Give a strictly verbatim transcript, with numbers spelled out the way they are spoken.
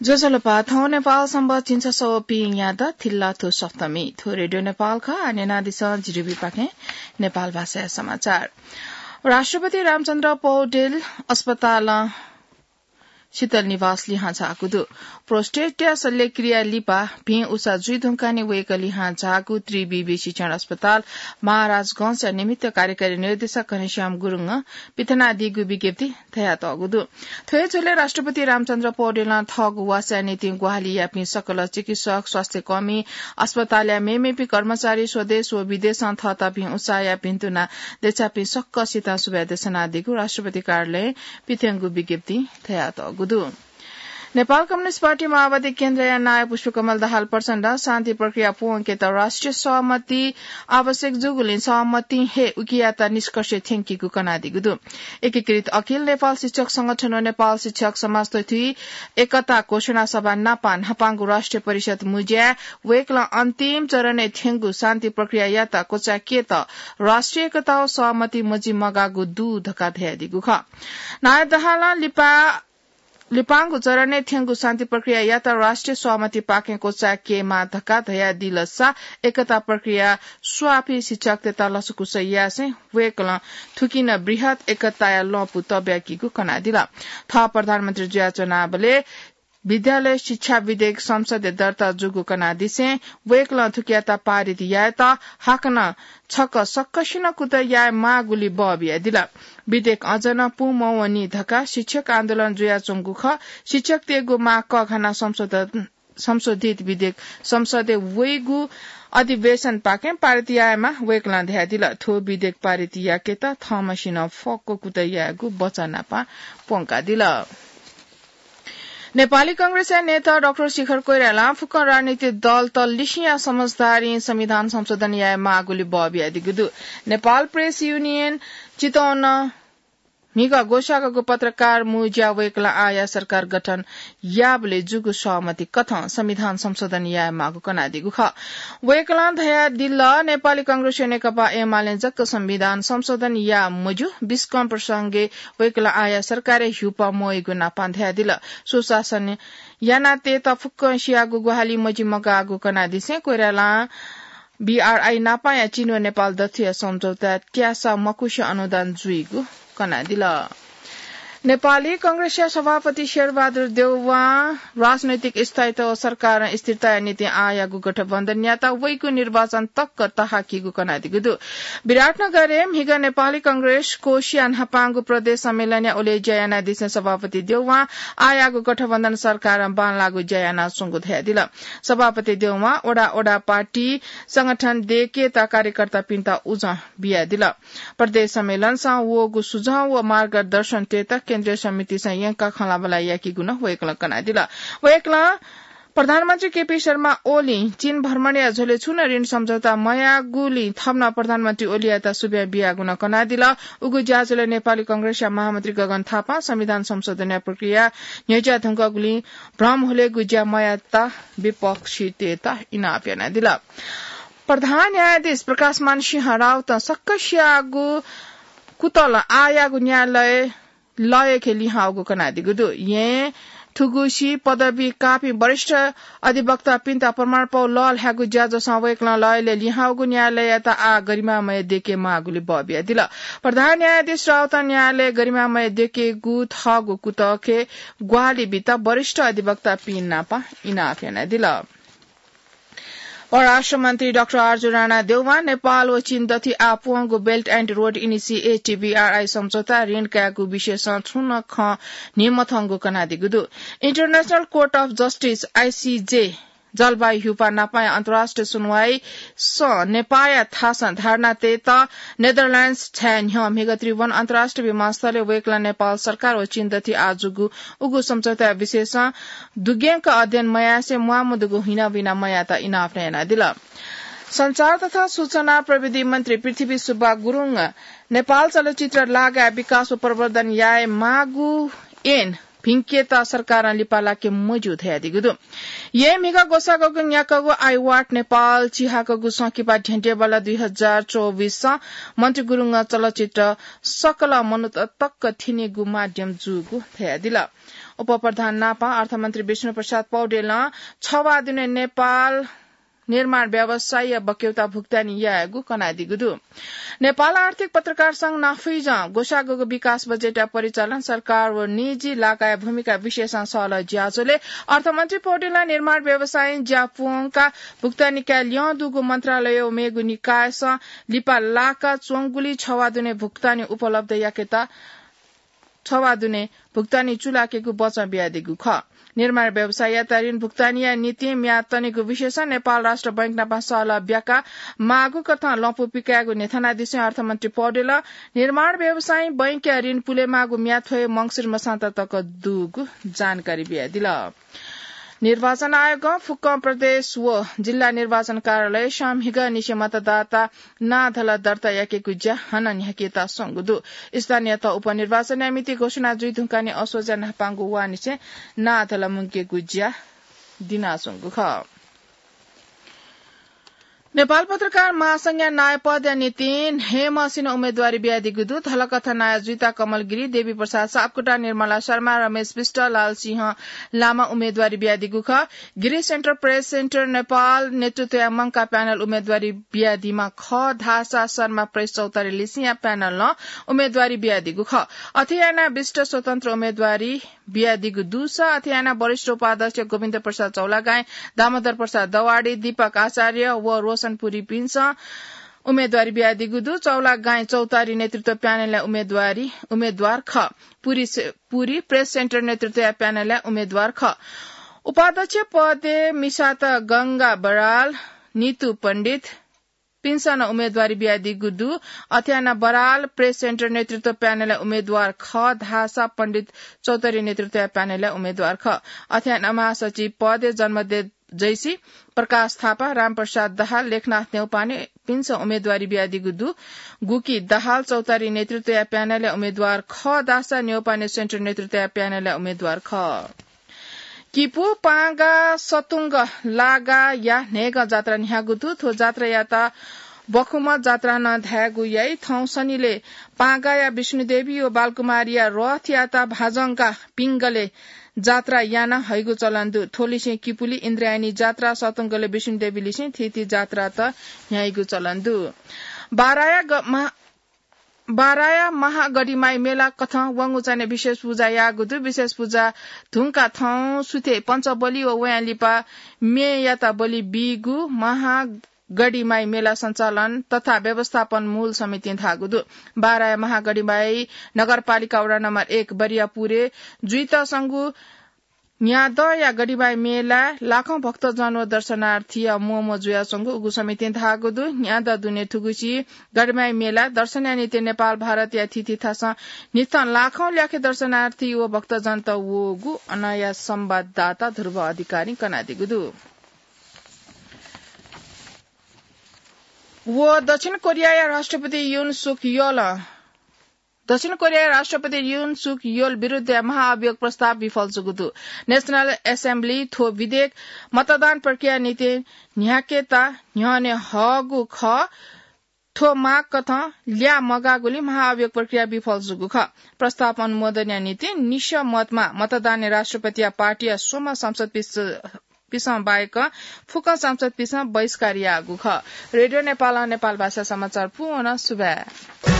ज्वजलपा, थौं नेपाल संवत् झिंछसः व पीन्यादँ थिल्लाथ्व सप्तमी। थ्व रेडियो नेपाल खः। आः न्यनादिसँ जीडीबीपाखें नेपाल भाषाया समाचार। राष्ट्रपति रामचन्द्र पौडेल अस्पतालं शीतल निवास लिहां झाःगु दु। प्रोस्टेटया शल्यक्रिया लिपा भिं उसा जुइ धुंकाः नं वय्‌कः लिहां झाःगु त्रिविवि शिक्षण अस्पताल महाराजगंजया निमित्त कार्यकारी निर्देशक घनश्याम गुरुङं पिथनादीगु विज्ञप्ति धयातःगु दु। थ्व हे झ्वलय् राष्ट्रपति रामचन्द्र पौडेलं थःगु वासया निंतिं ग्वाहालि याःपिं सकल चिकित्सक, स्वास्थ्यकर्मी, अस्पतालया मेमेपिं कर्मचारी, स्वदेश व विदेशं थःत भिं उसाया भिन्तुना देछाःपिं सकसितं सुभाय् देछानादीगु राष्ट्रपति कार्यालयं पिथंगु विज्ञप्तिं धयातःगु दु। नेपाल कम्युनिस्ट पार्टी माओवादी केन्द्रया नायः पुष्पकमल दाहाल प्रचण्डं शान्ति प्रक्रिया प्वंकेत राष्ट्रिय सहमति आवश्यक जूगुलिं सहमतिं हे उकियात निष्कर्षय् थ्यंकीगु कनादीगु दु। एकीकृत अखिल नेपाल शिक्षक संगठन व नेपाल शिक्षक समाज तथुइ एकता घोषणा सभा नापं न्हापांगु राष्ट्रिय परिषद् मुँज्याय् वय्‌कलं अन्तिम चरणय् थ्यंगु शान्ति प्रक्रियायात क्वचाय्‌केत राष्ट्रिय एकता व सहमति मजिमगाःगु दु धकाः धयादीगु खः। नायः दाहालं लिपा लिपांगु चरणय् थ्यंगु शान्ति प्रक्रियायात राष्ट्रिय सहमतिपाखें क्वचाय्‌केमाः धकाः धयादिलसा एकता प्रक्रिया स्वाःपिं शिक्षकतय्‌त लसकुस यासें वय्‌कलं थुकिं नं बृहत् एकताया लँपु तब्याकीगु कनादिल। थः प्रधानमन्त्री जुयाच्वनाबलय् विद्यालय शिक्षा विधेयक संसदय् दर्ता जूगु कनादिसें वय्‌कलं थुकियात पारित यायेत हाकनं छकः सकसिनं कुतः याये माःगुलि बः बियादिल। विधेयक अझ नं पूमवनी धकाः शिक्षक आन्दोलन जुयाच्वंगु खः। शिक्षकतय्‌गु माग कःघानाः संशोधन, संशोधित विधेयक संसदय् वइगु अधिवेशनपाखें पारित यायेमाः वय्‌कलं धयादिल। थ्व विधेयक पारित याकेत थःम्हसिनं फक्व कुतः यायेगु वचन नापं प्वंकादिल। नेपाली कांग्रेसया नेता डाक्टर शिखर कोइरालां फुक्क राजनीतिक दलत लिसिया समझदारीं संविधान संशोधन याये माःगुलि बः बियादीगु दु। नेपाल प्रेस युनियन चितवनं म्हिगः ग्वसाःगु पत्रकार मुँज्याय् वय्‌कलं आःया सरकार गठन याःबलय् जूगु सहमति कथं संविधान संशोधन याये माःगु कनादीगु खः। वय्‌कलं धयादिल, नेपाली कांग्रेसया नेकपा एमालें जक संविधान संशोधन याः मज्यू। बिस्कं प्रसंगय् वय्‌कलं आःया सरकारय् ह्युप मवइगु नापं धयादिल। सुशासन यानातयेत फुक्कसियागु ग्वाहालि मजिमगाःगु कनादिसें कोइरालां बीआरआई नापांया चीन व नेपाल दथुया सम्झौता त्यासा मकुसे अनुदान जुइगु कनादिल। नेपाली कांग्रेसया सभापति शेरबहादुर देउवां राजनैतिक स्थायित्व व सरकारं स्थिरताया निंतिं आःयागु गठबन्धनयात वइगु निर्वाचन तक तःहाकीगु कनादीगु दु। विराटनगरय् म्हिगः नेपाली कांग्रेस कोषया न्हापांगु प्रदेश सम्मेलनया ओले ज्या यानादिसें सभापति देउवां आःयागु गठबन्धन सरकारं बांलाःगु ज्या यानाच्वंगु धयादिल। सभापति देउवां वडा वडा पार्टी संगठन दयेकेत कार्यकर्तापिन्त उजं बियादिल। प्रदेश सम्मेलनसं वःगु सुझाव व मार्गदर्शन तयेत केन्द्रीय समितिसं यंकाः खँल्हाबल्हा याकीगु नं वय्‌कलं कनादिल। वय्‌कलं प्रधानमन्त्री केपी शर्मा ओलीं चीन भ्रमणया झ्वलय् छुं नं ऋण सम्झौता मयाःगुलिं थन नं प्रधानमन्त्री ओलीयात सुभाय् बियागु नं कनादिल। उगु ज्याझ्वलय् नेपाली कांग्रेसया महामन्त्री गगन थापां संविधान संशोधनया प्रक्रिया न्ह्यज्याः धुंकूगुलिं भ्रम हुलेगु ज्या मयायेत विपक्षीतय्‌त इनाप यानादिल। प्रधान न्यायाधीश प्रकाशमान सिंह राउतं सकसियागु कुतलं आःयागु न्यायालय लय्‌खे लिहां वःगु कनादीगु दु। यें थुगुसी पदवी काःपिं वरिष्ठ अधिवक्तापिन्त प्रमाणपौ लःल्हायेगु ज्याझ्वलय् वय्‌कलं लय्‌लय् लिहां वःगु न्यायालययात आः गरिमामय दयेके माःगुलि बः बियादिल। प्रधान न्यायाधीश राउतं न्यायालय गरिमामय दयेकेगु थःगु कुतःखे ग्वाहालि बीत वरिष्ठ अधिवक्तापिं नाप इनाप यानादिल। परराष्ट्र मन्त्री डाक्टर आरजु राणा देउवां नेपाल व चीन दथुइ आः प्वंगु Belt and Road Initiative, BRI, सम्झौता ऋण कायेगु विषयसं छुं नं खँ न्ह्यमथंगु कनादीगु दु। International Court of Justice, ICJ, जलवायु ह्युपा नापाया अन्तर्राष्ट्रिय सुनवाईसं नेपाःया थासं धारणा तयेत नेदरल्याण्ड्स झाये न्ह्यः म्हिगः त्रिभुवन अन्तर्राष्ट्रिय विमानस्थलय् वय्‌कलं नेपाल सरकार व चीन दथुइ आः जूगु उगु सम्झौताया विषयसं दुग्यंक अध्ययन मयासें म्वाःमदुगु हिनाबिना मयायेत इनाप नं यानादिल। सञ्चार तथा सूचना प्रविधि मन्त्री पृथ्वी सुब्बा गुरुङं नेपाल चलचित्र लागाय् विकास व प्रवर्धन याये माःगु ऐन भिंकेत सरकारं लिपा लाके मज्यू धयादीगु दु। यें म्हिगः ग्वसाःगु न्याक्वःगु आइवाट नेपाल चिहाकःगु संकिपा ध्यंत्यंबल्ला दुई हजार चौबिससं मन्त्री गुरुङं चलचित्र सकल मनूत तक थ्यनेगु माध्यम जूगु धयादिल। उपप्रधान नापं अर्थमन्त्री विष्णुप्रसाद पौडेलं छवाः दुने नेपाल निर्माण व्यवसायया बक्यौता भुक्तानी यायेगु कनादीगु दु। नेपाल आर्थिक पत्रकार संघ नाफुइजं ग्वसाःगु विकास बजेटया परिचालन सरकार व निजी लागाया भूमिका विषयसं सहलह ज्याझ्वलय् अर्थमन्त्री पौडेलं निर्माण व्यवसायं ज्या पुवंकाः भुक्तानी काये ल्यं दुगु मन्त्रालय व मेगु निकायसं लिपा लाका च्वंगुलिं छवाः दुने भुक्तानी उपलब्ध याकेत छवाः दुने भुक्तानी चूलाकेगु बचं बियादीगु खः। निर्माण व्यवसाययात ऋण भुक्तानीया निंतिं म्याद तनेगु विषयसं नेपाल राष्ट्र बैंकनापं सहलह ब्याका माःगु कथं लँपु पिकायेगु न्ह्यथनादिसें अर्थमन्त्री पौडेलं निर्माण व्यवसायं बैंकया ऋण पुलेमाःगु म्याद थ्व हे मंसिर मसांत तक दुगु जानकारी बियादिल। निर्वाचन आयोगं फुक्क प्रदेश व जिल्ला निर्वाचन कार्यालय संघीयनिसें मतदाता नां धल दर्ता याकेगु ज्या हानं न्ह्याकेत स्वंगु दु। स्थानीय तह उपनिर्वाचनया मिति घोषणा जुइ धुंकाः नि असोज्या न्हापांगु वाःनिसें नां धल मुंकेगु ज्या दिनाच्वंगु खः। नेपाल पत्रकार महासंघया नायः पदया निंतिं न्हय्‌म्हसिनं उम्मेदवारी बियादीगु दु। धलकथं नायः जुइता कमल गिरी, देवी प्रसाद सापकोटा, निर्मला शर्मा, रमेश विष्ट, लालसिंह लामा उम्मेदवारी बियादीगु खः। गिरी सेन्टर प्रेस सेन्टर नेपाल नेतृत्वया मंकाः प्यानल उम्मेदवारी बियादीम्ह खः धाःसा शर्मा प्रेस चौतारी लिसेंया प्यानलं उम्मेदवारी बियादीगु खः। अथे यानाः विष्ट स्वतन्त्र उम्मेदवारी बियादीगु दुसा अथे यानाः वरिष्ठ उपाध्यक्ष गोविन्द प्रसाद चौलागाई, दामोदर प्रसाद दवाडी, दीपक आचार्य व रोशन पुरीपिन्सं उम्मेदवारी बियादीगु दु। चौलागाई चौतारी नेतृत्व प्यानलया उम्मेदवारी, उम्मेदवार खः। पुरी से-, पुरी प्रेस सेन्टर नेतृत्वया प्यानलया उम्मेदवार खः। उपाध्यक्ष पदय् मिसात गंगा बराल, नितु पण्डित, पिन्सं नं उम्मेदवारी बियादीगु दु। अथे यानाः बराल प्रेस सेन्टर नेतृत्व प्यानलया उम्मेदवार खः धाःसा पण्डित चौतारी नेतृत्वया प्यानलया उम्मेदवार खः। अथे यानाः महासचिव पदय् जन्मदेव जैसी, प्रकाश थापा, रामप्रसाद दाहाल, लेखनाथ न्यौपाने पिन्सं उम्मेदवारी बियादीगु दु। गुकी दाहाल चौतारी नेतृत्वया प्यानलया उम्मेदवार खः धाःसा न्यौपाने सेन्टर नेतृत्वया प्यानलया उम्मेदवार खः। किपू, पांगा, सतुंग लागाया न्हय्‌गं जात्रा न्ह्याःगु दु। थ्व जात्रायात बखुम्ह जात्रा नं धायेगु याइ। थौं सनिलय् पांगाया विष्णुदेवी व बालकुमारीया रथयात भाजंका पिंगलय् जात्रा याना हइगु चलन दु। थ्वलिसें किपुली इन्द्रायणी जात्रा, सतुंगलय् विष्णुदेवीलिसें थीथी जात्रात न्ह्याइगु चलन दु। बाराया ग-, मा-, बाराया महागढीमाई मेला कथं वंगु चान्हय् विशेष पुजा याःगु दु। विशेष पुजा धुंका थौं सुथय् पञ्चबलि व वयां लिपा मेयात बलि बीगु महागढीमाई मेला सञ्चालन तथा व्यवस्थापन मूल समितिं धाःगु दु। बाराया महागढीमाई नगरपालिका वडा नम्बर एक बरियापुरय् जुइत संगु न्यादँया गढीमाई मेलाय् लाखौं भक्तजन व दर्शनार्थीया म्वःम्वः जुयाच्वंगु उगु समितिं धाःगु दु। न्यादँ दुने थुगुसी गढीमाई मेलाय् दर्शनया निंतिं नेपाल भारतया थीथी थासं निथं लाखौं ल्याखे दर्शनार्थी व भक्तजनत वःगु अनया संवाददाता ध्रुव अधिकारीं कनादीगु दु। व दक्षिण कोरियाया राष्ट्रपति युन सुक योलं दक्षिण कोरियाया राष्ट्रपति युन सुक योल विरुद्धया महाअभियोग प्रस्ताव विफल जूगु दु। नेशनल एसेम्बली थ्व विधेयक मतदान प्रक्रिया निंतिं न्ह्याकेत न्ह्यःने हःगु खः। थ्व माग कथं ल्याः मगाःगुलिं महाअभियोग प्रक्रिया विफल जूगु खः। प्रस्ताव अनुमोदनया निंतिं निसः मतमा मतदानय् राष्ट्रपतिया पार्टीया स्वम्ह संसद पिस-, पिसं बाहेक फुक्क संसद पिसं बहिष्कार याःगु खः। रेडियो नेपालं नेपाल भाषा समाचार पूवं सुभाय्।